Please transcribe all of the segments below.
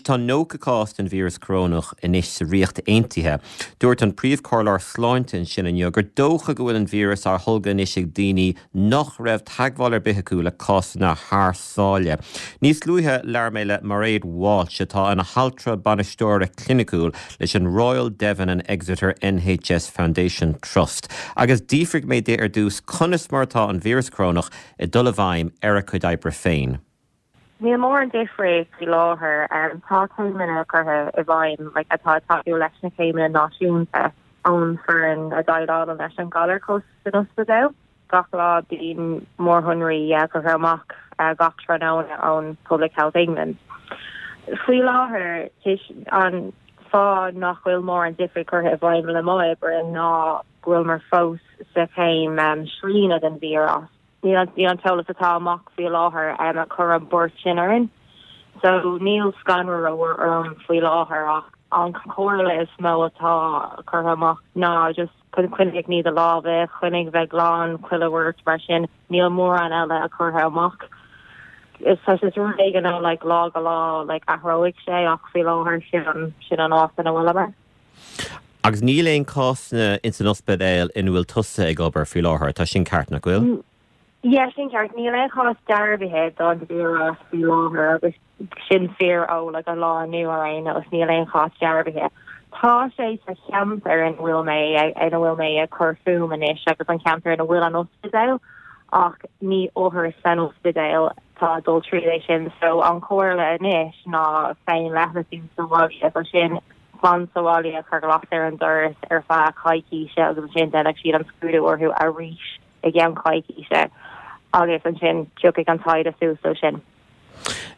tá 90 cás den víreas corónach anois sa Ríocht Aontaithe. Dúirt an príomhchomhairleoir sláinte ansin inniu gur dócha go bhfuil an víreas á tholgadh anois ag daoine nach raibh teagmháil ar bith acu le cásanna thar sáile. Níos luaithe, labhair mé le Mairéad Walsh, atá ina haltra bainisteora cliniciúil leis an Royal Devon and Exeter NHS Foundation Trust, agus d'fhiafraigh mé di ar dtús conas mar atá an víreas corónach ag dul i bhfeidhm ar a cuid oibre féin. Níl mórán difríocht faoi láthair. Tá céimeanna curtha i bhfeidhm like atá ag tacú leis na céimeanna náisiúnta ón foireann a déileálann leis an galar thuas san ospidéal. Gach lá bíonn mórshonraí curtha amach gach tráthnóna ón Public Health England. Faoi láthair an fáth nach bhfuil mórán difríocht curtha i bhfeidhm le mo oibre ná go bhfuileamar fós sa chéim srianaidh den víreas. Níl an t-eolas atá amach faoi láthair ag cur an buairt sin orainn. So níl scanradh orm faoi láthair ach an chomhairle is mó atá curtha amach ná just coinnigh ag ní do lámha, coinnigh bheith glan, chuile shórt mar sin. Níl mórán eile curtha amach. Is tá sé rud éigin ó like lá go lá like athróidh sé ach faoi láthair sin an sin an áit ina bhfuileamar. Agus níl aon cásanna ins an ospidéal ina bhfuil tusa ag obair faoi láthair, tá sin ceart, nach bhfuil? Yeah, sin ceart. Níl aon chás dearbhaithe don víreas faoi láthair agus sin fíor ó like an lá inniu ar aon nós, níl aon chás dearbhaithe. Tá sé sa cheantar ina bhfuil mé ina bhfuil mé ag cur fúm anois agus an ceantar ina bhfuil an ospidéal ach ní othair san ospidéal atá ag dul tríd é sin so an chomhairle anois ná féin-leithleasú sa bhaile so sin fan sa bhaile, cuir glas ar an doras ar feadh coicíse agus ansin déanfaidh siad an scrúdú orthu arís i gceann coicíse agus ansin tiocfaidh an taighde suas ó sin.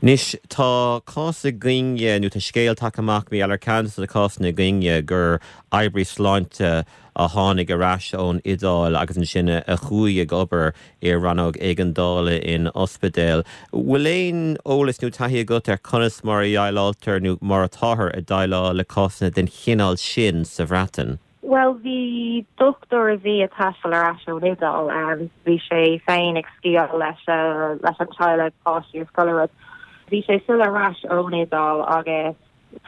Anois, tá cás againne, nó tá scéal tagtha amach, mar gheall ar ceann de na cásanna againne, gur oibrí sláinte a tháinig ar ais ón Iodáil agus ansin a chuaigh ag obair i rannóg éigeandála in ospidéal. Bhfuil aon eolas nó taithí agat ar conas mar a dhéileáiltear nó mar atáthar ag déileáil le cásanna den chineál sin sa Bhreatain? Bhuel, bhí dochtúir a bhí ag taisteal ar ais ón Iodáil, bhí sé féin ag sciáil leis leis an teaghlach, páistí is chuile rud. Bhí sé fillte ar ais ón Iodáil agus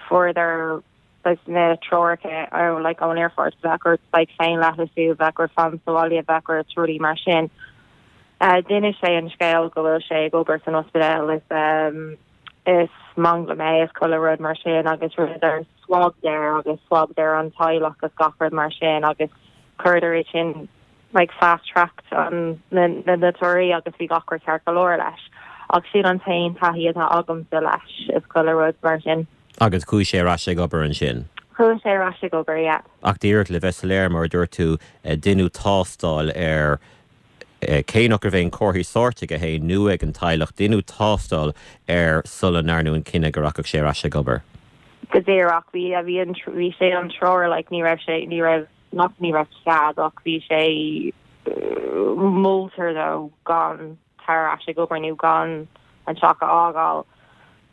fuaireadar saghas na treoracha ó like ón aerfort bheadh ort like féinleithleasú, bheadh ort fan sa bhaile, bheadh ort rudaí mar sin. D'inis sé an scéal go bhfuil sé ag obair san ospidéal is um, is manglam é is chuile rud mar sin agus rinneadar swab de agus swab ar an teaghlach agus gach rud mar sin agus chuireadar é sin like fast tracked an na na na torthaí agus bhí gach rud ceart go leor leis. Ach sin an t-aon taithí atá agamsa leis is chuile rud mar sin. Agus chuaigh sé ar ais ag obair ansin? Chuaigh sé ar ais ag obair, yeah. Ach díreach le bheith soiléir, mar a dúirt tú, deineadh tástáil air, cé nach raibh aon chomharthaí sóirt aige féin nó ag an teaghlach, deineadh tástáil air sula ndearnadh an cinneadh go rachadh sé ar ais ag obair. Go díreach, bhí, bhí an, bhí sé an treoir, like, ní raibh sé, ní raibh, not ní raibh cead ach bhí sé, moltar dó gan tar ar ais ag obair nó gan an teach a fhágáil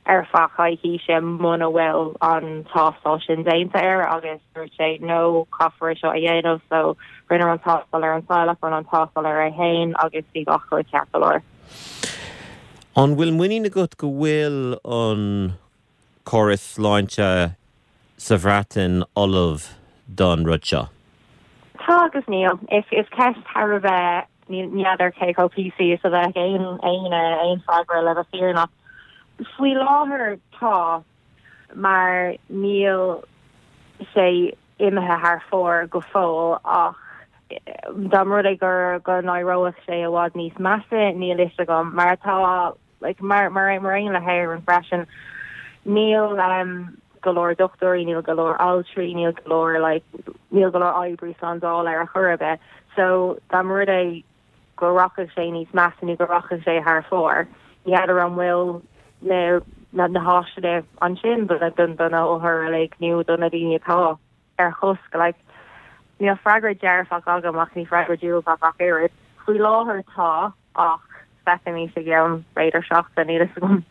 ar feadh coicíse muna bhfuil an tástáil sin déanta air agus dúirt sé no caithfear é seo a dhéanamh so rinneadh an tástáil ar an teaghlach, rinneadh an tástáil ar é féin agus bhí gach rud ceart go leor. An bhfuil muinín agat go bhfuil an córas sláinte sa Bhreatain ullamh don rud seo? Tá agus níl. Is ceist thar a bheith, ní fheadar cé chomh píosaí is a bheadh aon aon aon freagra le bheith fírinneach. Faoi láthair tá, mar níl sé imithe thar fóir go fóill ach dá mba rud é gur go n-éireoidh sé i bhfad níos measa, níl fhios agam. Mar atá Like, mar, mar, mar aon le hÉirinn freisin, níl um, go leor dochtúirí, níl go leor altraí, níl go leor, like, níl go leor oibrí slándála ar chor ar bith. So, dá mba rud é go rachadh sé níos measa nó go rachadh sé thar fóir, ní fheadar an bhfuil na, na, na háiseanna ansin do na, do, do na hothair uilig nó do na daoine atá ar chosc. Like, níl freagra dearfach agam ach ní freagra diúltach ach oiread. Faoi láthair tá, ach feicfimid i gceann b'fhéidir seachtain, níl fhios agam.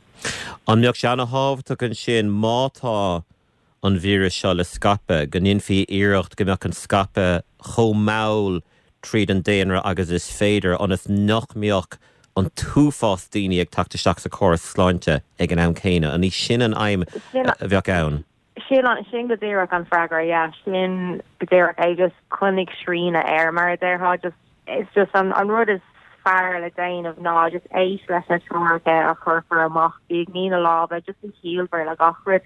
An mbeadh sé ana-thábhachtach ansin, má tá an víreas seo le scaipeadh, go ndéanfaí iarracht go mbeadh an scaipeadh chomh mall tríd an daonra agus is féidir, ionas nach mbeadh. an t-uafás daoine ag teacht isteach sa chóras sláinte ag an am céanna. An í sin an aidhm a bheadh ann? Sin an, sin go díreach an freagra, yeah. Sin go díreach é, just coinnigh srian air, mar a déarfá, just, it's just an, an rud is fearr le déanamh ná just éist leis na treoracha a chuirfear amach, bí ag ní na lámha, just bí ciallmhar le gach rud,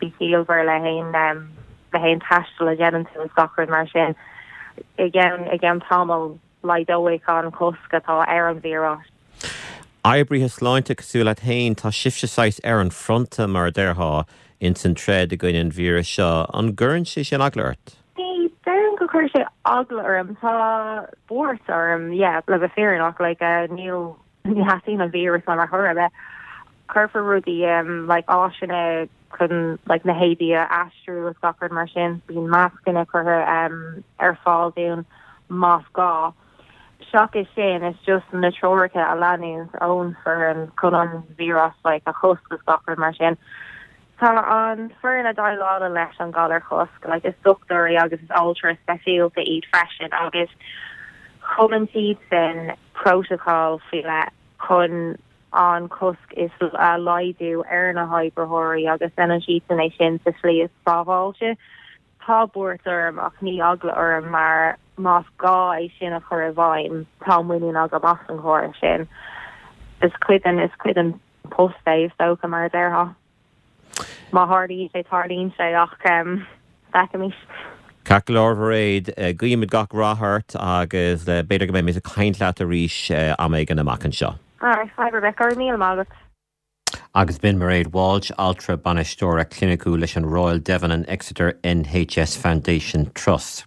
bí ciallmhar le haon, um, le haon taisteal a dhéanann tú is gach rud mar sin. I gceann, i gceann tamaill laghdóidh an cosc atá ar an víreas. Oibrithe sláinte cosúil leat féin, tá sibhse saghas ar an fronta, mar a déarfá, ins an troid i gcoinne an víris seo. An gcuireann sé sin eagla ort? Ní déarfainn go gcuireann sé eagla orm. Tá buairt orm, yeah, le bheith fírinneach, like, níl, ní theastaíonn an víreas uaim ar chor ar bith. Cuirfear rudaí, like, áiseanna chun, like, na héadaí a aistriú is gach rud mar sin. Bíonn mascanna curtha ar fáil dúinn más gá. Seachas sin, is just na treoracha a leanúint ón foireann chun an víreas like a chosc is gach rud mar sin. Tá an foireann a déileálann leis an galar a chosc, like is dochtúirí agus is altraí speisialta iad freisin agus cumann siadsan protocol faoi leith chun an cosc is a laghdú ar na hoibritheoirí agus déanann siadsan é sin sa slí is sábháilte. Tá buairt orm ach ní eagla orm mar más gá é sin a chur i bhfeidhm, tá muinín agam as an chóras sin. Is cuid den, is cuid den post é is dócha, mar a déarfá. Má tharlaíonn sé, tarlaíonn sé ach feicfimis. Ceart go leor, Mhairéad, guímid gach rath ort agus b'fhéidir go mbeimid ag caint leat arís am éigin amach anseo. Alright, fadhb ar bith, go raibh míle maith agat. Agus b'in Mairéad Walsh, altra bainisteora cliniciúil leis an Royal Devon and Exeter NHS Foundation Trust.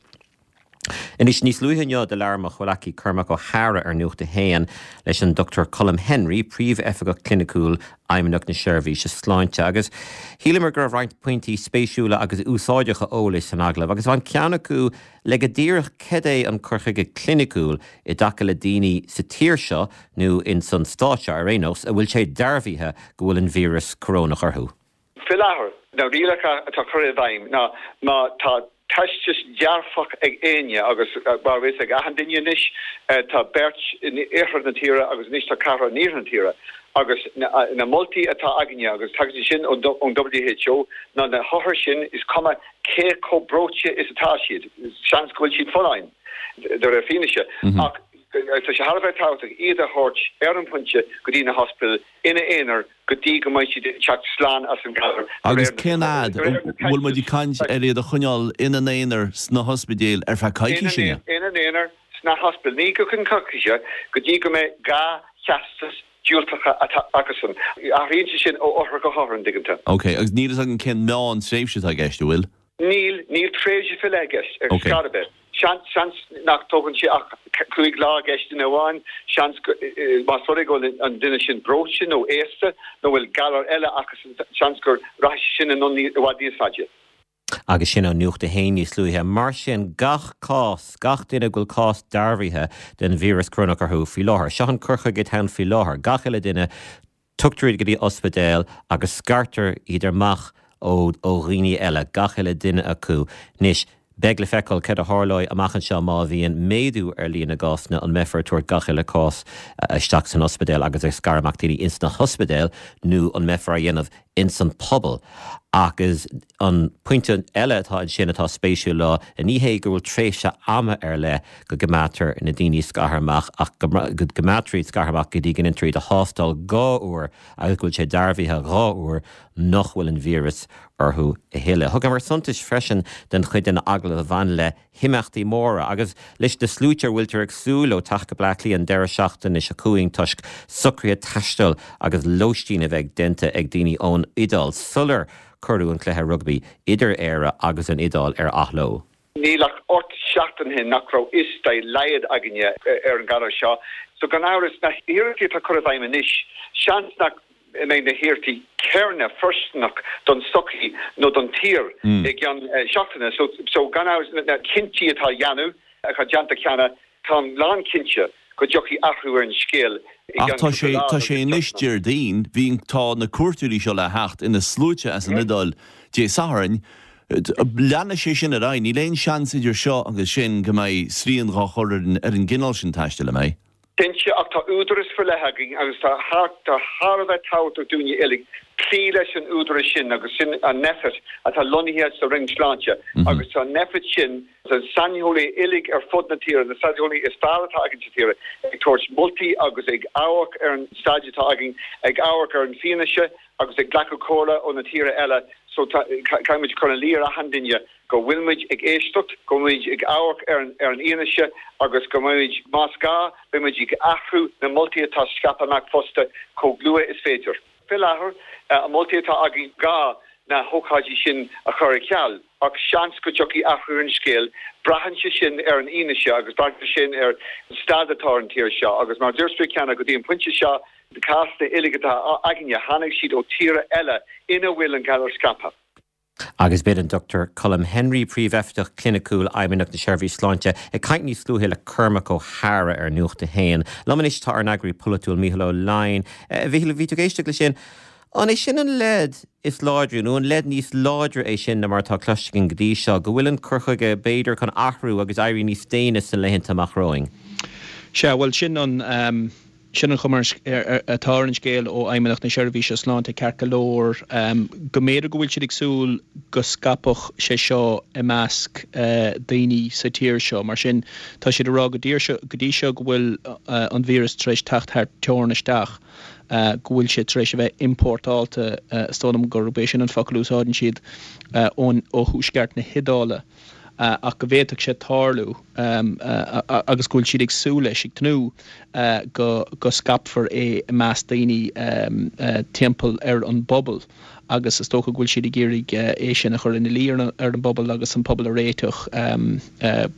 Anois, níos luaithe inniu do labhair mo chomhleacaí Cormac Ó hEadhra ar Nuacht a hAon leis an Dr Colm Henry, Príomh-Oifigeach Cliniciúil Fheidhmeannacht na Seirbhíse Sláinte, agus shíleamar go raibh roinnt pointí spéisiúla agus úsáideacha eolais san agallamh, agus bhain ceann acu le go díreach cad é an cur chuige cliniciúil i dtaca le daoine sa tír seo, nó ins an stát seo ar aon nós, a bhfuil sé dearbhaithe go bhfuil an víreas corónach orthu. Faoi láthair, na rialacha atá curtha i bhfeidhm ná má tá teastas dearfach ag éinne, agus mar a bhfuil fhios ag achan duine anois, tá beirt in oirthear na tíre agus anois tá ceathrar in iarthar na tíre, agus na moltaí atá againne, agus tagann siad sin ón WHO, ná na hothair sin, is cuma cé chomh breoite is atá siad, seans go bhfuil siad folláin, de réir fianaise, ach tá sé thar a bheith tábhachtach iad a thabhairt ar an phointe go dtí na hospidéil ina aonar go dtí go mbeidh siad ag teacht slán as an ghalar. Agus cén fhad? An bhfuil muid ag caint ar iad a choinneáil ina n-aonar sna hospidéil ar feadh coicíse? Ina n-aonar sna hospidéil, ní go ceann coicíse, go dtí go mbeidh 2 theastas diúltacha atá acusan. Athraíonn sé sin ó othar go hothar, an dtuigeann tú. Ok, agus níl fhios agam cén meán tréimhse atá i gceist, an bhfuil? Níl, níl tréimhse faoi leith i gceist ar scor ar bith. Seans, seans nach dtógann sé ach 5 lá i gceist duine amháin, seans go, más rud é go bhfuil an duine sin breoite nó aosta nó bhfuil galar eile acusan, seans go rachaidh sé sin anonn i bhfad níos faide. Agus sin ó Nuacht a hAon níos luaithe. Mar sin, gach cás, gach duine go bhfuil cás dearbhaithe den víreas corónach orthu faoi láthair, seo an cur chuige atá ann faoi láthair, gach uile duine, Tugtar iad go dtí ospidéal agus scartar iad amach ó dhaoine eile, gach uile duine acu. Anois, beidh le feiceáil céard a tharlóidh amach anseo má bhíonn méadú ar líon na gcásanna, an mbeifear ag tabhairt gach uile cás isteach san ospidéal agus ag scaradh amach daoine ins na hospidéil nó an mbeifear á dhéanamh ins an pobal. Agus an pointe eile atá ansin atá spéisiúil ná, ní hé go bhfuil tréimhse ama ar leith go gcoimeádtar na daoine scartha amach ach go gcoimeádtar iad scartha amach go dtí go ndéantar iad a thástáil 2 uair agus go bhfuil sé dearbhaithe 2 uair nach bhfuil an víreas orthu a thuilleadh. Thugamar suntas freisin don chuid den agallamh a bhain le himeachtaí móra agus leis na sluaite a bhfuiltear ag súil leo teacht go Bleá Cliath an deireadh seachtaine seo chugainn toisc socruithe taistil agus lóistín a bheith déanta ag daoine ón Iodáil sular cuireadh an cluiche rugbaí idir Éire agus an Iodáil ar athló. Níl ach 8 seachtain ó shin nach raibh fhios dá laghad againne ar an ghalar seo. So gan amhras, na hiarrachtaí atá curtha i bhfeidhm anois, seans nach mbeidh na hiarrachtaí céanna fóirsteanach don tsochaí nó don tír i gceann seachtaine. So gan amhras, na cinntí atá á dhéanamh, atá déanta cheana, Táim lán cinnte go dtiocfaidh athrú ar an scéal i Ach gceann tá sé, cúpla lá tá nó sé anois seachtaine. Déardaoin, bhí, tá na cuairteoirí seo le theacht ina sluaite as an Iodáil Dé Sathairn. Leanfaidh sé sin ar aghaidh. Níl aon seans idir seo agus sin go mbeidh srian dhá chur ar an, ar an gcineál sin taistil, an mbeidh? Cinnte, ach tá údaras faoi leith againn agus tá tá thar a bheith tábhachtach dúinne uilig cloí leis an údaras sin agus sin an Nphet atá lonnaithe sa Roinn Sláinte agus tá an Nphet sin, na saineolaithe uilig ar fud na tíre, na saineolaithe is fearr atá againn sa tír ag tabhairt moltaí agus ag amharc ar an staid atá againn, ag amharc ar an fianaise agus ag glacadh comhairle ó na tíortha eile so caithfidh muid cur ina luí ar achan duine go bhfuil muid ag éisteacht, go bhfuil muid ag amharc ar an fhianaise agus go mbeidh muid, más gá, beidh muid ag athrú na moltaí atá scaipthe amach fosta chomh luath is féidir. Fé láthair, na moltaí atá againn ná na hócáidí sin a chur ar ceal, ach seans go dtiocfaidh athrú ar an scéal. Braitheann sé sin ar an fhianaise agus braitheann sé sin ar an staid atá ar an tír seo agus mar a dúirt mé cheana, go dtí an pointe seo, na cásanna uilig atá againne, tháinig siad ó tíortha eile ina bhfuil an galar scaipthe. Agus b'in an Dr Colm Henry, Príomhoifigeach Cliniciúil Fheidhmeannacht na Seirbhíse Sláinte, ag caint níos luaithe le Cormac Ó hEadhra ar Nuacht a hAon. Liom anois tá ár n-eagraí polaitiúil Mícheál Ó Leidhin. A Mhíchíl, bhí tú ag éisteacht leis sin. An é sin an leid is láidre, nó an leid níos láidre é sin ná mar atá cloiste againn go dtí seo, go bhfuil an cur chuige, b'fhéidir, chun athrú agus éirí níos déine sna laethanta amach romhainn? Sea, bhuel sin an. Sin an chuma atá ar an scéal ó Fheidhmeannacht na Seirbhíse Sláinte ceart go leor, go mb'fhéidir go bhfuil siad ag súil go scaipfeadh sé seo i measc daoine sa tír seo. Mar sin, tá siad ag rá go dtí seo go bhfuil an víreas tar éis teacht thar teorainn isteach, go bhfuil sé tar éis a bheith iompórtáilte, is dóigh liom gurb é sin an focal a úsáideann siad, ó thuaisceart na hIodáile. ach go bhféadfadh sé tarlú agus go bhfuil siad ag súil leis, ag tnúth go scaipfear é i measc daoine timpeall ar an bpobal agus is dócha go bhfuil siad ag iarraidh é sin a chur ina luí ar an bpobal agus an pobal a réiteach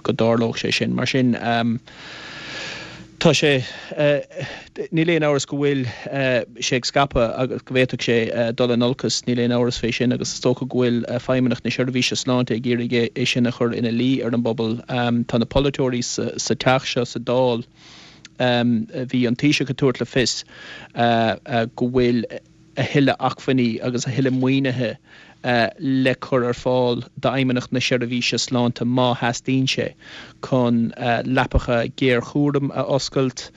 go dtarlódh sé sin. Mar sin. Tá sé, níl aon amhras go bhfuil sé ag scaipeadh agus go bhféadfadh sé dul in olcas, níl aon amhras fé sin agus is dócha go bhfuil Feidhmeannacht na Seirbhíse Sláinte ag iarraidh é sin a chur ina luí ar an bpobal. Tá na polaiteoirí sa teach seo, sa Dáil, bhí an Taoiseach ag tabhairt le fios go bhfuil, a thuilleadh acmhainní agus a thuilleadh maoinithe le cur ar fáil d'Fheidhmeannacht na Seirbhíse Sláinte má theastaíonn sé chun leapacha géarchúraim a oscailt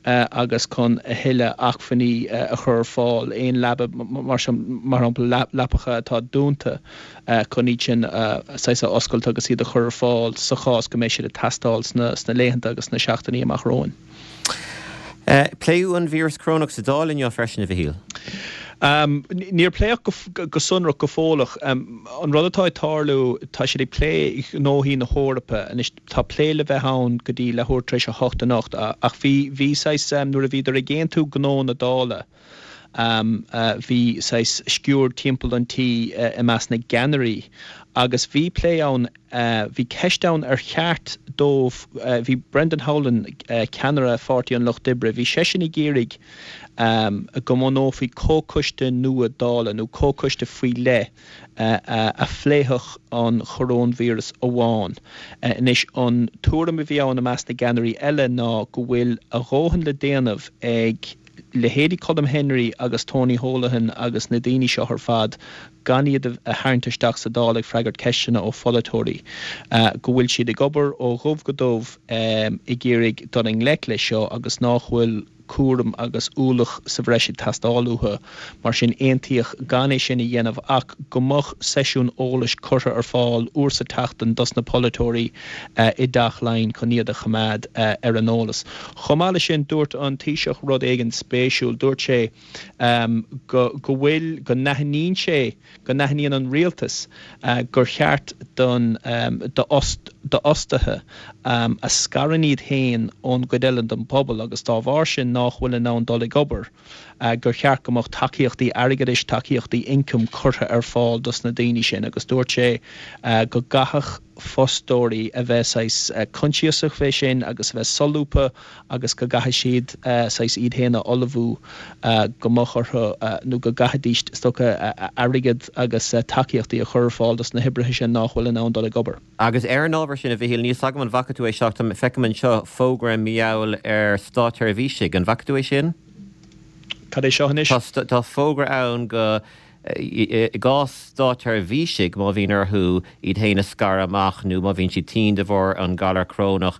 agus chun a thuilleadh acmhainní a chur ar fáil, aon leaba, mar shampla leapacha atá dúnta, chun iad sin saghas a oscailt agus iad a chur ar fáil sa chás go mbeidh siad ag teastáil sna laethanta agus sna seachtainí amach romhainn. Pléadh an víreas corónach sa Dáil inniu freisin, a Mhichíl. Níor pléadh go sonrach go fóill ach an rud atá ag tarlú, tá siad ag plé gnóthaí na hEorpa anois. Tá plé le bheith ann go dtí leathuair tar éis a hocht anocht ach bhí, bhí saghas, nuair a bhíodar ag aontú gnó na Dála, bhí saghas sciuird timpeall an tí i measc na gceannairí agus bhí plé ann, Bhí ceist ann ar cheart dóibh, bhí Brendan Howlin, ceannaire Pháirtí an Lucht Oibre, bhí seisean ag iarraidh go mbunófaí comhchoiste nua Dála nó comhchoiste faoi leith a phléifeadh an choróinvíreas amháin. Anois, an tuairim a bhí ann i measc na gceannairí eile ná go bhfuil a dhóthain le déanamh ag leithéidí Colm Henry agus Tony Holohan agus na daoine seo ar fad, gan iad a tharraingt isteach sa Dáil ag freagairt ceisteanna ó pholaiteoirí, go bhfuil siad ag obair ó dhubh go dubh ag iarraidh dul i ngleic leis seo agus nách bhfuil cúram agus ualach sa bhreis ag teastáil uathu. Mar sin, aontaíodh gan é sin a dhéanamh ach go mbeadh seisiún eolais curtha ar fáil uair sa tseachtain dos na polaiteoirí i dTeach Laighean chun iad a choimeád ar an eolas. Chomh maith leis sin, dúirt an Taoiseach rud éigin spéisiúil. Dúirt sé go go bhfuil, go n-aithníonn sé, go n-aithníonn an rialtas gur cheart don d'fhostaithe a scarann iad féin ón gcuid eile den phobal agus dá bharr sin nách bhfuil in ann dul ag obair, gur cheart go mbeadh tacaíochtaí airgeadais, tacaíochtaí ioncaim curtha ar fáil dos na daoine sin agus dúirt sé go gcaithfeadh fostóirí a bheith saghas coinsiasach fé sin agus a bheith solúbtha agus go gcaithfidh siad saghas iad féin a ullmhú go mbeadh orthu nó go gcaithfidís is dócha airgead agus tacaíochtaí a chur ar fáil dos na hoibrithe sin nách bhfuil in ann dul ag obair. Agus ar an ábhar sin, a Mhichíl, níl 's agam an bhfaca tú é seo, ach feicim anseo fógra mar gheall ar státsheirbhísigh, an bhfaca tú é sin? Cad é seo anois? Tá fógra ann go. I gcás státsheirbhísigh, má bhíonn orthu iad féin a scaradh amach nó má bhíonn siad tinn de bharr an galar corónach,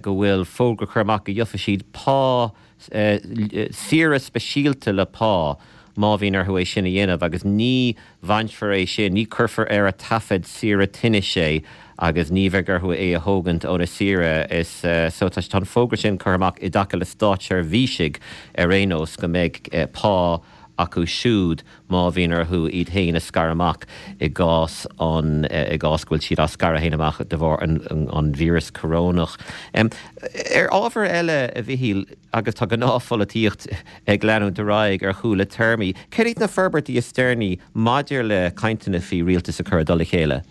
go bhfuil fógra curtha amach go gheofaidh siad pá, saoire speisialta le pá má bhíonn orthu é sin a dhéanamh agus ní bhainfear é sin, ní cuirfear ar a taifead saoire tinnis é agus ní bheidh orthu é a thógaint óna saoire. Is so tá an fógra sin curtha amach i dtaca le státseirbhísigh ar aon nós go mbeidh pá acu siúd má bhíonn orthu iad féin a scaradh amach i gcás an i gcás go bhfuil siad á scaradh féin amach de bharr an an víreas corónach. Ar ábhar eile, a Mhichíl, agus tá gnáthpholaitíocht ag leanúint ar aghaidh ar chúl a téarmaí, céard iad na forbairtí is deireanaí maidir le cainteanna faoi rialtas a chur i dtoll a chéile?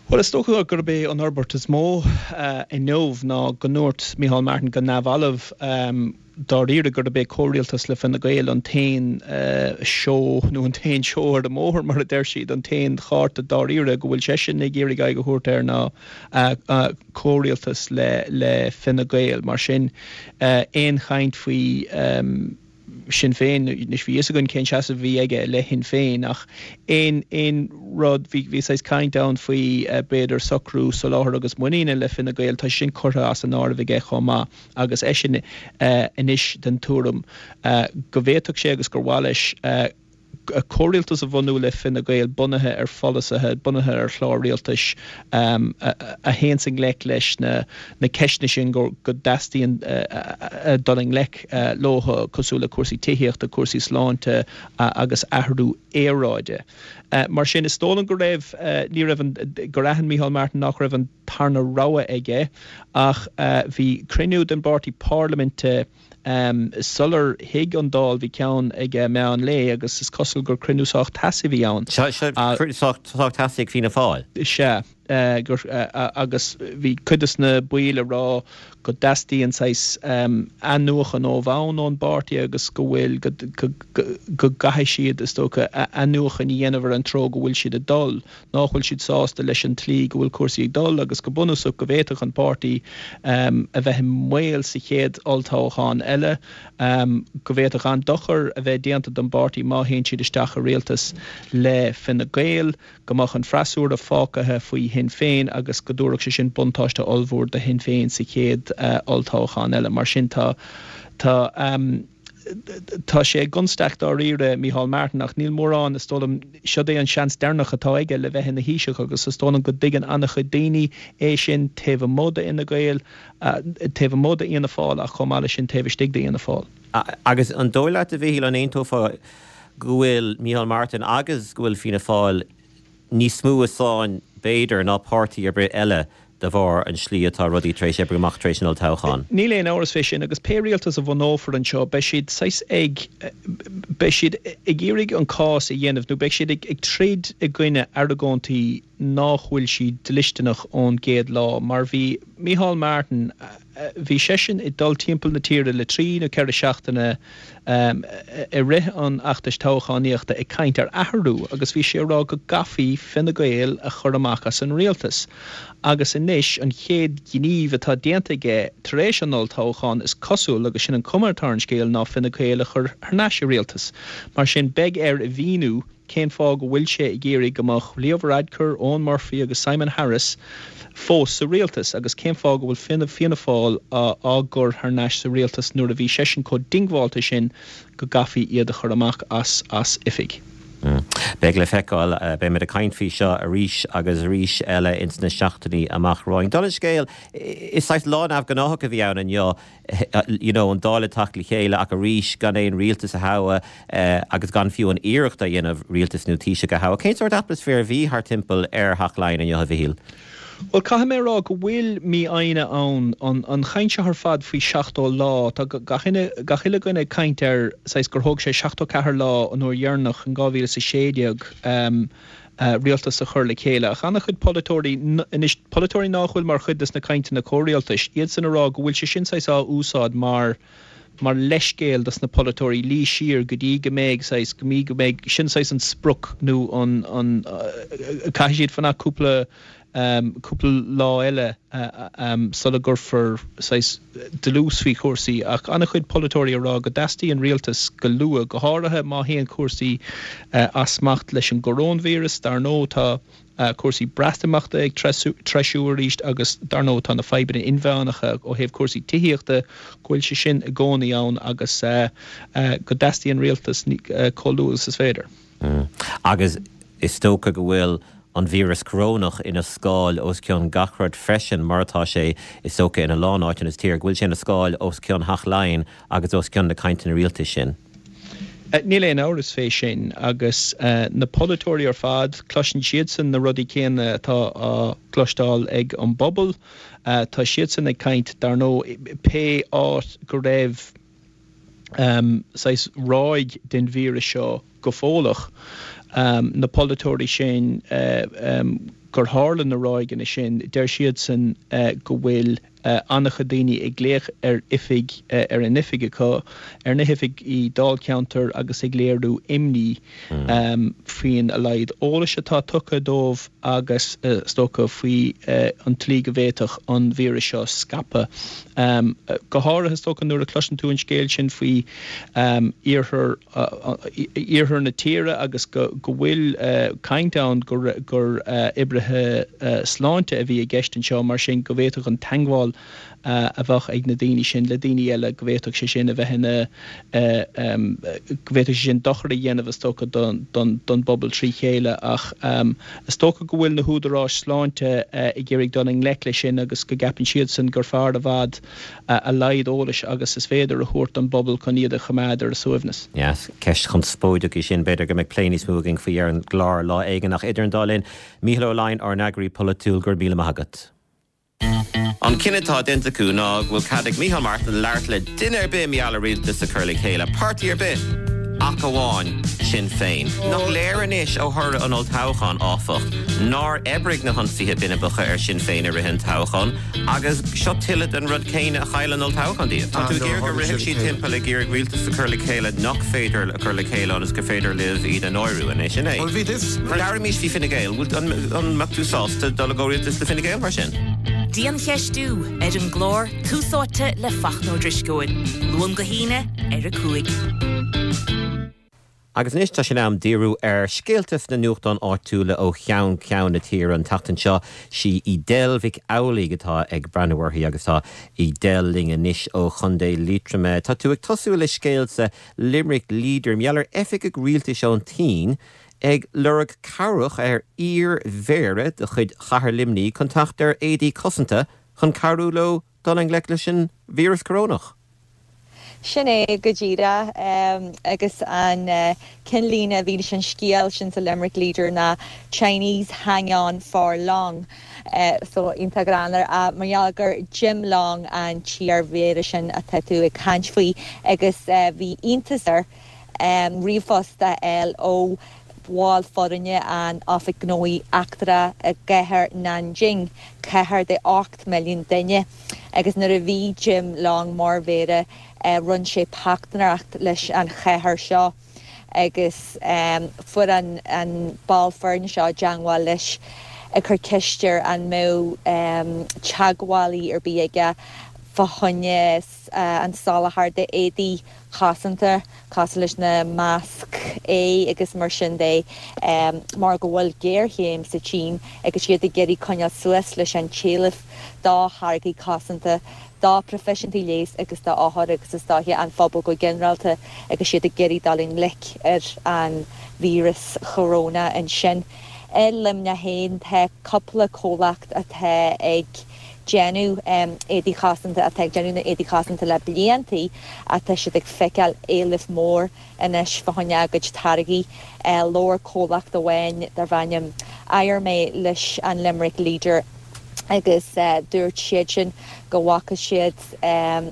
Bhuel, is dócha gurb é an fhorbairt is mó inniu ná go ndúirt Micheál Martin go neamhbhalbh dáiríre gurb é comhrialtas le Fine Gael an t-aon seó nó an t-aon seó ar an mbóthar, mar a deir siad, an t-aon chárta dáiríre go bhfuil seisean ag iarraidh aghaidh a thabhairt air ná comhrialtas le Fine Gael. Mar sin, aon chaint faoi Sinn Féin, anois bhí fhios againn cén seasamh a bhí aige i leith Shinn Féin ach aon aon rud, bhí bhí saghas caint ann faoi b'fhéidir socrú soláthair agus muiníne le Fine Gael, tá sé sin curtha as an áireamh aige chomh maith. Agus eisean anois den tuairim go bhféadfadh sé agus gur mhaith leis comhrialtas a bhunú le Fine Gael bunaithe ar pholasaithe, bunaithe ar chlár rialtais a théanns i ngleic leis na ceisteanna sin go dteastaíonn dul i ngleic leo, cosúil le cúrsaí tithíochta, cúrsaí sláinte agus athrú aeráide. Mar sin, is dóigh liom go raibh, ní raibh an, gur aithin Micheál Martin nach raibh an tarna rogha aige ach bhí cruinniú den bpáirtí parlaiminte sular shuigh an Dáil, bhí ceann ag meán lae agus is cosúil gur cruinniú sách teasaí a bhí ann. Sea, cruinniú sách teasaí ag Fianna Fáil. Sea. gur agus bhí cuid de na baill ag rá go dteastaíonn saghas athnuachan ó bhonn ón bpáirtí agus go bhfuil, go gcaithfidh siad, is dócha, athnuachan a dhéanamh ar an treo go bhfuil siad ag dul, nach bhfuil siad sásta leis an tslí go bhfuil cúrsaí ag dul agus go bunúsach go bhféadfadh an páirtí a bheith i mbaol sa chéad olltoghchán eile, go bhféadfadh an-dochar a bheith déanta don bpáirtí má théann siad isteach i rialtas le Fine Gael. go mbeadh an freasúra fágtha faoi Shinn Féin agus go dtabharfadh sé sin buntáiste ollmhór do Shinn Féin sa chéad olltoghchán eile. Mar sin tá, tá, tá sé i gconstaic dáiríre, Micheál Martin, ach níl mórán, is dóigh liom, siod é an seans deireanach atá aige le bheith ina Thaoiseach agus is dóigh liom go dtuigeann an-chuid daoine é sin taobh amuigh d'Fhine Gael, taobh amuigh d'Fhianna Fáil ach chomh maith leis sin taobh istigh d'Fhianna Fáil. Agus an dóigh leat, a Mhichíl, an aontófá go bhfuil Micheál Martin agus go bhfuil Fianna Fáil níos mó i sáinn, b'fhéidir, ná páirtí ar bith eile de bharr an slí atá rudaí tar éis oibriú amach tar éis an olltoghcháin. Níl aon amhras fé sin agus pé rialtas a bhunófar anseo beidh siad saghas ag, beidh siad ag iarraidh an cás a dhéanamh nó beidh siad ag troid i gcoinne argóintí nách bhfuil siad dlisteanach ón gcéad lá mar bhí Micheál Martin, Bhí seisean ag dul timpeall na tíre le trí nó ceithre seachtaine i rith an fheachtais toghchánaíochta ag caint ar athrú agus bhí sé ag rá go gcaithfí Fine Gael a chur amach as an rialtas. Agus anois an chéad ghníomh atá déanta aige tar éis an olltoghcháin, is cosúil, agus sin an cuma atá ar an scéal, ná Fine Gael a chur thar n-ais i rialtas. Mar sin beidh air a mhíniú cén fáth go bhfuil sé ag iarraidh go mbeadh Leo Varadkar, Eoghan Murphy agus Simon Harris fós sa rialtas agus cén fáth go bhfuil Fianna Fáil á gcur thar n-ais sa rialtas nuair a bhí seisean chomh diongbháilte sin go gcaithfí iad a chur amach as as oifig. Beidh le feiceáil. Beimid ag caint faoi seo arís agus arís eile ins na seachtainí amach romhainn. Dála an scéil, is saghas lá neamhghnáthach a bhí ann inniu. you know an Dáil ag teacht le chéile ach arís gan aon rialtas a thoghadh agus gan fiú an iarracht a dhéanamh rialtas nó Taoiseach a thoghadh. Cén sórt atmaisféar a bhí thar timpeall ar Theach Laighean inniu, a Mhichíl? Bhuel, caithfidh mé a rá go bhfuil mífhoighne ann. An chaint seo ar fad faoi 70 lá, tá gach gach uile dhuine ag caint ar saghas gur thóg sé 74 lá an uair dheireanach in 2016. rialtas a chur le chéile. Ach an-chuid polaiteoirí, anois, polaiteoirí nách bhfuil mar chuid des na cainteanna comhrialtais, iadsan a rá go bhfuil sé sin saghas á úsáid mar. mar leithscéal dos na polaiteoirí luí siar go dtí go mbeidh saghas, go mí go mbeidh, sin saghas an sprioc nó an, an, caithfidh siad fanacht cúpla, cúpla lá eile sula gcuirfear saghas dlús faoi chúrsaí. Ach an-chuid polaiteoirí ag rá go dteastaíonn rialtas go luath, go háirithe má théann cúrsaí as smacht leis an gcoróinvíreas. Dar ndóigh tá. cúrsaí Breatimeachta ag treisiú arís agus dar ndóigh tá na fadhbanna inmheánacha ó thaobh cúrsaí tithíochta, go bhfuil sé sin i gcónaí ann agus go dteastaíonn rialtas chomh luath agus is féidir. Agus is dócha go bhfuil an víreas corónach ina scáil os cionn gach rud freisin, mar atá sé is dócha ina lán áiteanna sa tír, go bhfuil sé ina scáil os cionn Theach Laighean agus os cionn na cainteanna rialtais sin. Níl aon amhras fé sin, agus na polaiteoirí ar fad, cloiseann siadsan na rudaí céanna atá á gcloisteáil ag an bpobal. Tá siadsan ag caint, dar ndóigh, pé áit go raibh saghas ráig den víreas seo go fóilleach, na polaiteoirí sin gur tharla na ráigeanna sin, deir siadsan go bhfuil an-chuid daoine ag glaoch ar oifig, ar an oifig acu, ar na hoifigí dáilcheantair agus ag léiriú imní faoin a laghad eolais atá tugtha dóibh agus, is dócha, faoi an tslí go bhféadfadh an víreas seo scaipeadh. Go háirithe, is dócha, nuair a chloiseann tú an scéal sin faoi iarthar iarthar na tíre agus go bhfuil caint ann gur oibrithe sláinte a bhí i gceist anseo, mar sin go bhféadfadh an teagmháil a bheadh ag na daoine sin le daoine eile, go bhféadfadh sé sin a bheith ina, go bhféadfadh sé sin dochar a dhéanamh is dócha don bpobal trí chéile. Ach is dócha go bhfuil na húdaráis sláinte ag iarraidh dul i ngleic leis sin agus go gceapann siadsan gur fearr i bhfad a laghad eolais agus is féidir a thabhairt don bpobal chun iad a choimeád ar a suaimhneas. Yes, ceist chonspóideach í sin. B'fhéidir go mbeidh plé níos mó againn faoi ar an gclár lá éigin. Ach idir an dá linn, Mícheál Ó Laighin, ár n-eagraí polaitiúil, go raibh míle maith agat. An cinneadh atá déanta acu ná go bhfuil cead ag Micheál Martin labhairt le duine ar bith mar gheall ar rialtas a chur le chéile, páirtí ar bith ach amháin Sinn Féin. Nach léir anois ó thoradh an olltoghcháin, áfach, nár oibrigh na hionsaithe binibeacha ar Shinn Féin i rith an toghcháin, Agus seo tuilleadh den rud céanna a chaill an olltoghchán díobh. Tá tú ag iarraidh go rithfeadh siad timpeall ag iarraidh rialtas a chur le chéile nach féidir a chur le chéile ionas gur féidir libh iad a náiriú, an é sin é? Labhraímis faoi Fine Gael. An mbeadh tú sásta dul i gcomhrialtas le Fine Gael mar sin? Diancheistiú ar an gclár Tús Áite le Fachtna Ó Drisceoil, Luan go hAoine ar 5. Agus anois tá sé in am díriú ar scéalta sna nuachtáin áitiúla ó cheann ceann na tíre. An tseachtain seo, sí Edel Mhic Amhlaigh atá ag breathnú uirthi agus tá Edel linn anois ó Chontae Liatroma. Tá tú ag tosú le scéal sa Limerick Leader, mar gheall ar oifigeach rialtais ón tSín ag lorg cabhrach ar iar-mhéara de chuid Chathair Luimnigh chun teacht ar éadaí cosanta chun cabhrú leo dul i ngleic leis an víreas corónach. Sin é go díreach. Agus an ceannlíne a bhí leis an scéal sin sa Limerick Leader ná Chinese hang on for Long. So, iontach greannmhar. Mar gheall gur Jim Long an t-iar-mhéara sin atá tú ag caint faoi agus bhí iontas air ríomhphost a fháil ó bhall foirne an Oifig Gnóthaí Eachtracha i gcathair Nanjing, cathair de 8 milliún duine. Agus nuair a bhí Jim Long mar mhéara rinne sé páirtnéireacht leis an chathair seo agus fuair an ball foirne seo i dteangmháil leis ag cur ceist air an mbeadh teagmhálaí ar bith aige fá choinne an soláthar de éadaí cosanta cosúil leis na masc aghaidhe agus mar sin de, mar go bhfuil géarchéim sa tSín agus iad ag iarraidh coinneáil suas leis an t-éileamh do tháirgí cosanta do phroifisiúntaigh leighis agus do othair agus is dóiche an phobal go ginearálta agus iad ag iarraidh dul i ngleic ar an víreas choróna ansin. I Luimneach féin tá cúpla comhlacht atá ag déanamh éadaí chosanta, atá ag déanamh na éadaí cosanta le bliantaí ach tá siad ag feiceáil éileamh mór anois fá choinne a gcuid táirgí. Labhair comhlacht amháin darb ainm Iarmé leis an Limerick Leader agus dúirt siadsan go bhfaca siad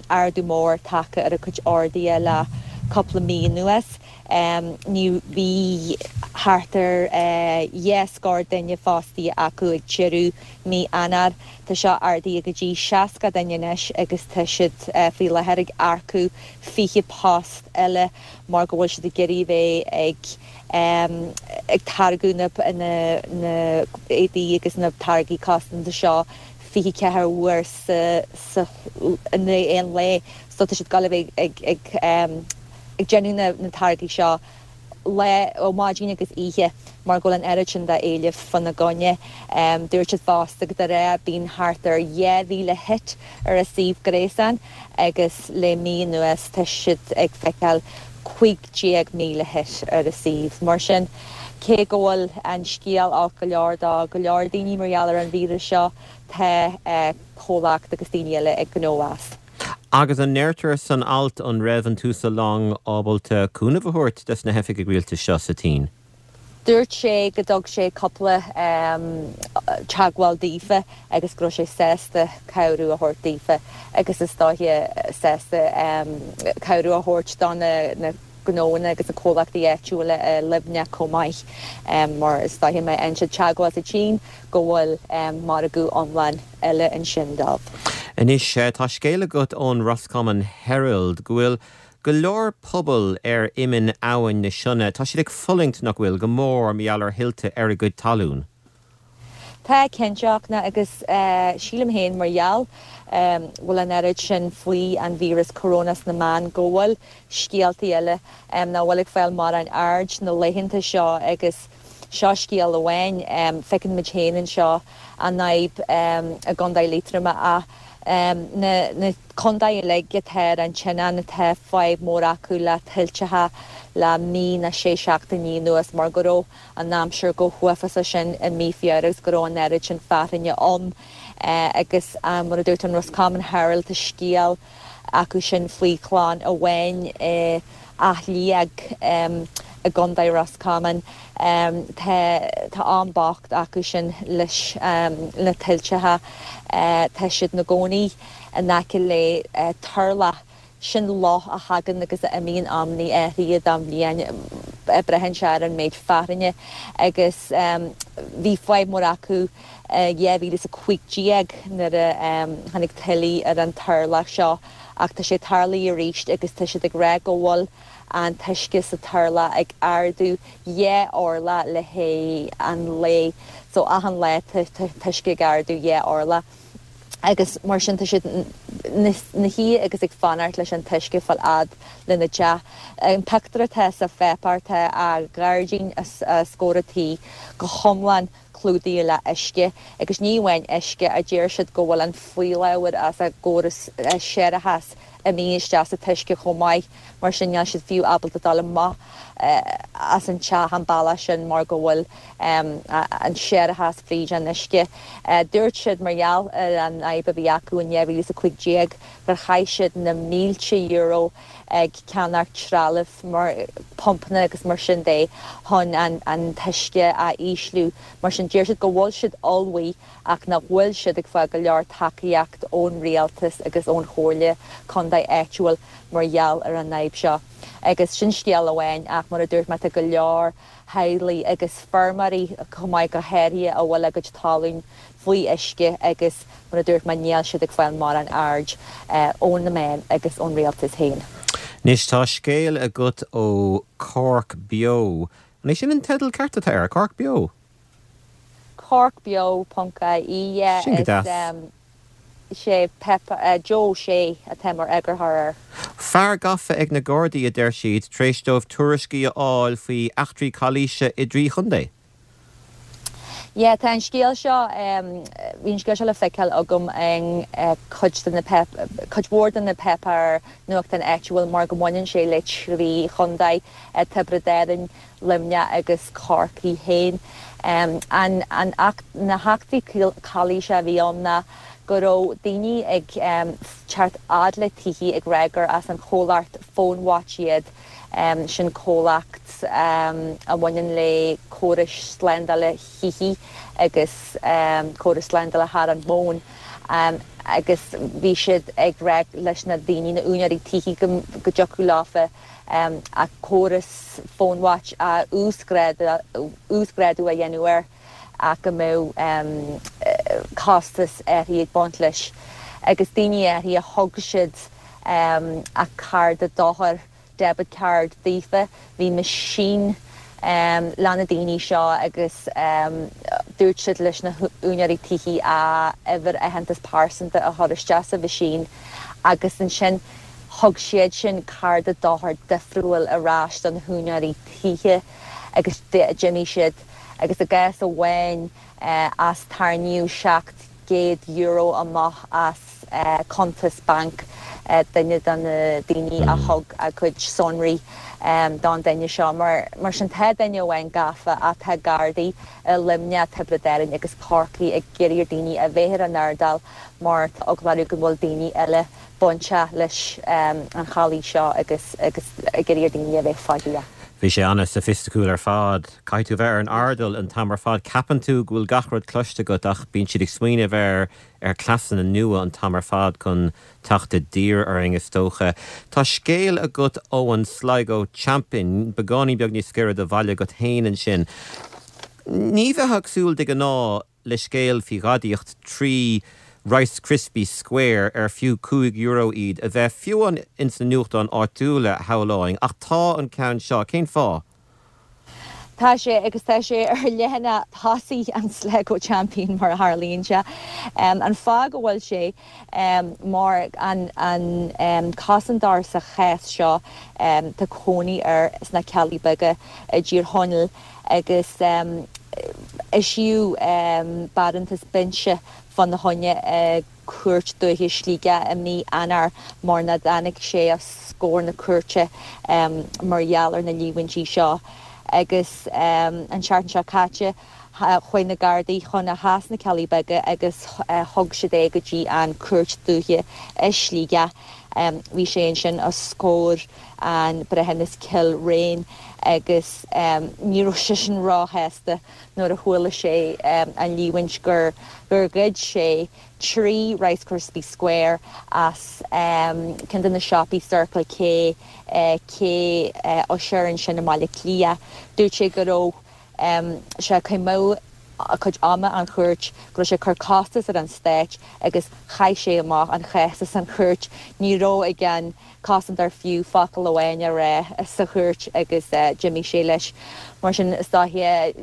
ardú mór tagtha ar a gcuid orduithe le cúpla mí anuas. Ní bhí thart ar dhá scór duine fostaithe acu ag deireadh mí Eanáir. Tá seo ardaithe go dtí 60 duine anois agus tá siad faoi láthair ag earcú 20 post eile mar go bhfuil siad ag iarraidh bheith ag ag táirgeadh na na éadaí agus na táirgí cosanta seo 24 uair sa sa in aon lae so tá siad ag dul a bheith ag ag ag déanamh na na táirgí seo lá, ó maidin agus oíche mar go bhfuil an oiread sin d'éileamh fána gcoinne. Dúirt siad fosta go de ghnáth bíonn thart ar 2,000 hit ar a suíomh gréasáin agus le mí anuas tá siad ag feiceáil 15,000 hit ar a suíomh. Mar sin, cé go bhfuil an scéal olc go leor do go leor daoine mar gheall ar an víreas seo, tá comhlacht agus daoine eile ag gnó as. Agus an ndeirtear san alt an raibh an tUasal Long ábalta cúnamh a thabhairt dos na hoifigigh rialtais seo sa tSín? Dúirt sé go dtug sé cúpla teagmháil daofa agus go raibh sé sásta cabhrú a thabhairt daofa agus is dóiche sásta cabhrú a thabhairt do na gnóanna agus na comhlachtaí áitiúla i Luimneach chomh maith mar is dóiche má fhaigheann siad teagmháil sa tSín go bhfuil margadh iomlán eile ansin dóibh. Anois, tá scéal agat ón Roscommon Herald go bhfuil go leor pobal ar iminn Abhainn na Sionna, tá siad ag fulaingt, nach bhfuil, go mór mar gheall ar thuilte ar a gcuid talún. Tá, cinnte, agus sílim féin mar gheall bhfuil an oiread sin faoi an víreas corona sna meáin go bhfuil scéaltaí eile nach bhfuil ag fáil mórán aird na laethanta seo agus seo scéal amháin. Feiceann muid féin anseo an fhadhb i gContae Liatroma ach na contaetha uilig atá ar an tSionainn tá fadhb mór acu le tuilteacha le mí nó sé seachtainí anuas mar go raibh an aimsir chomh huafásach sin i mí Feabhra agus go raibh an oiread sin fearthainne ann agus mar a dúirt an Roscommon Herald tá scéal acu sin faoi chlann amháin i Áth Liag i gContae Ros Comáin. Tá tá am bocht acu sin leis na tuilteacha. Tá siad 'na gcónaí in aice le turlach. Sin loch a thagann agus a imíonn amannaí áirithe den bhliain, braitheann sé ar an méid fearthainne agus bhí fadhb mór acu i 2015 nuair a tháinig tuile ar an turlach seo ach tá sé tarlaithe arís agus tá siad ag rá go bhfuil an t-uisce sa turlach ag ardú dhá orlach le haghaidh an lae so achan lá tá t-uisce ag ardú dhá orlach. agus mar sin tá siad 'na shuí agus ag fanacht leis an t-uisce fáil fhad lena dteach. An pictiúr atá sa pháipéar tá a ngairdín os comhair an tí go hiomlán clúdaithe le uisce agus ní amháin uisce a deir siad go bhfuil an fuíollabhar as a gcóras séarachais imithe isteach sa t-uisce chomh maith mar sin níl siad fiú ábalta dul amach as an teach an bealach sin mar go bhfuil an séarachas fríd an uisce. Dúirt siad mar gheall ar an fhadhb a bhí acu in 2015 gur chaith siad na mílte euro ag ceannacht trealamh mar pumpanna agus mar sin de chun an t-uisce a ísliú. Mar sin deir siad go bhfuil siad ullmhaithe ach nach bhfuil siad ag fáil go leor tacaíocht ón rialtas agus ón chomhairle contae áitiúil mar gheall ar an fhadhb seo. Agus sin scéal amháin ach mar a dúirt mé tá go leor theaghlaigh agus feirmeoirí chomh maith go háirithe a bhfuil a gcuid talún faoi uisce agus mar a dúirt mé níl siad ag fáil mórán aird ó na meáin agus ón rialtas féin. Anois tá scéal agat ó Cork Beo. An é sin an teideal ceart atá air? Cork Beo? Corkbeo ponc ie yeah Sin go deas. Is é Pep, Joe Shea atá mar eagarthóir air. Fear gafa ag na Gardaí, a deir siad, tar éis dóibh tuairiscí a fháil faoi eachtraí calaoise i dtrí chontae. Yeah, tá an scéal seo, bhí an scéal seo le feiceáil agam in cuid de na, cuid mhór de na páipéir nuachtáin áitiúil mar go mbaineann sé le trí chontae, Tiobraid Árann, Luimneach agus Corcaigh féin. An na heachtraí calaoise a bhí ann ná go raibh daoine ag teacht fhad le tithe ag rá gur as an chomhlacht PhoneWatch iad, sin comhlacht a bhaineann le córais slándála thithe agus córais slándála thar an bhfón. Agus bhí siad ag rá leis na daoine, na úinéirí tithe go dtiocfadh leofa a córas PhoneWatch a uasghrádú a dhéanamh air ach go mbeadh costas áirithe ag baint leis. Agus daoine áirithe thug siad a cárta dochair debit card daofa. Bhí meaisín le na daoine seo agus dúirt siad leis na húinéirí tithe a uimhir aitheantas pearsanta a chur isteach sa mheaisín agus ansin thug siad sin cárta dochair difriúil ar ais do na húinéirí tithe agus d'imigh siad agus i gcás amháin as tarraingíodh €700 amach as cuntas bainc duine de na daoine a thug a gcuid sonraí don duine seo. Mar sin tá duine amháin gafa ach tá Gardaí i Luimneach, Tiobraid Árann agus Corcaigh ag iarraidh ar daoine a bheith ar a n-airdeall mar tá eagla orthu go bhfuil daoine eile bainteach leis an chalaois seo agus ag iarraidh ar daoine a bheith faichilleach. Bhí sé an-soifisticiúil ar fad. Caithfidh tú bheith ar an airdeall an t-am ar fad. Ceapann tú go bhfuil gach rud cloiste agat ach bíonn siad ag smaoineamh ar ar cleasanna nua an t-am ar fad chun teacht i dtír orainn, is dócha. Tá scéal agat ó an Sligo Champion, beagáinín beag níos gaire do bhaile agat féin ansin. Ní bheifeá ag súil de ghnáth le scéal faoi ghadaíocht 3 Rice Krispies Square ar fiú €5 iad a bheith fiú amháin ins na nuachtáin áitiúla, shamhlóinn, ach tá an ceann seo. Cén fáth? Tá sé, agus tá sé ar leathanach tosaigh an Sligo Champion mar a tharlaíonn sé. An fáth go bhfuil sé mar an cosantóir sa chás seo, tá cónaí air sna Ceallaigh Beaga i dTír Chonaill agus eisíodh barántas binse fána choinne i Cúirt Dúiche Shligigh i mí Eanáir mar nach dtáinig sé os comhair na cúirte mar gheall ar na líomhaintí seo agus an tseachtain seo caite chuaigh na Gardaí chun a theach sna Ceallaigh Beaga agus thug siad é go dtí an Cúirt Dúiche i Sligeach. Bhí sé ansin os comhair an breithiúnas Kilrane agus ní raibh seisean róshásta nuair a chuala sé an líomhaint gur ghoid sé 3 Rice Krispie Square as ceann de na siopaí Circle K, Cé Ussher ansin i mBaile Átha Cliath. Dúirt sé go raibh sé ag cur amú a chuid ama an chúirt, go raibh sé ag cur costas ar an stát agus chaith sé amach an chás as an chúirt. Ní raibh ag an cosantóir fiú focal amháin a rá sa chúirt agus d'imigh sé leis. Mar sin, is dóiche,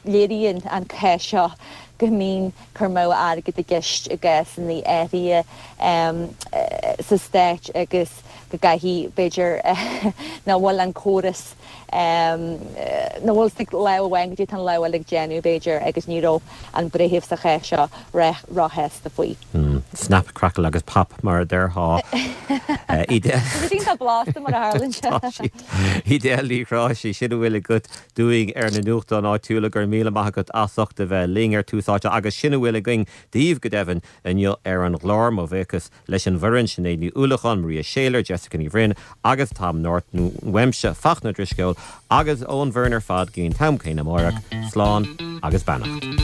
léiríonn an cás seo go mbíonn cur amú airgid i gceist i gcásanna áirithe sa Stát agus go gcaithfidh, b'fhéidir, nach bhfuil an córas, nach bhfuil ag lámh amháin goidé tá an lámh eile ag déanamh, b'fhéidir, agus ní raibh an breitheamh sa chás seo róshásta faoi. Snap, crackle agus pop, mar a déarfá. Tá siad iontach blasta mar a tharlaíonn sé. Tá siad. Edel Ní Ghráiste, sin a bhfuil agat dúinn ar na nuachtáin áitiúla. Go raibh míle maith agat as ucht a bheith linn ar Tús Áite agus sin a bhfuil againn daoibh go deimhin inniu ar an gclár. Mo bhuíochas leis an bhfoireann, Sinéad Ní Uallacháin, Maria Shayler, Jessica Ní Bhroin agus Tom Norton, uaimse, Fachtna Ó Drisceoil, agus ón bhfoireann ar fad go dtí an t-am céanna amárach, slán agus beannacht.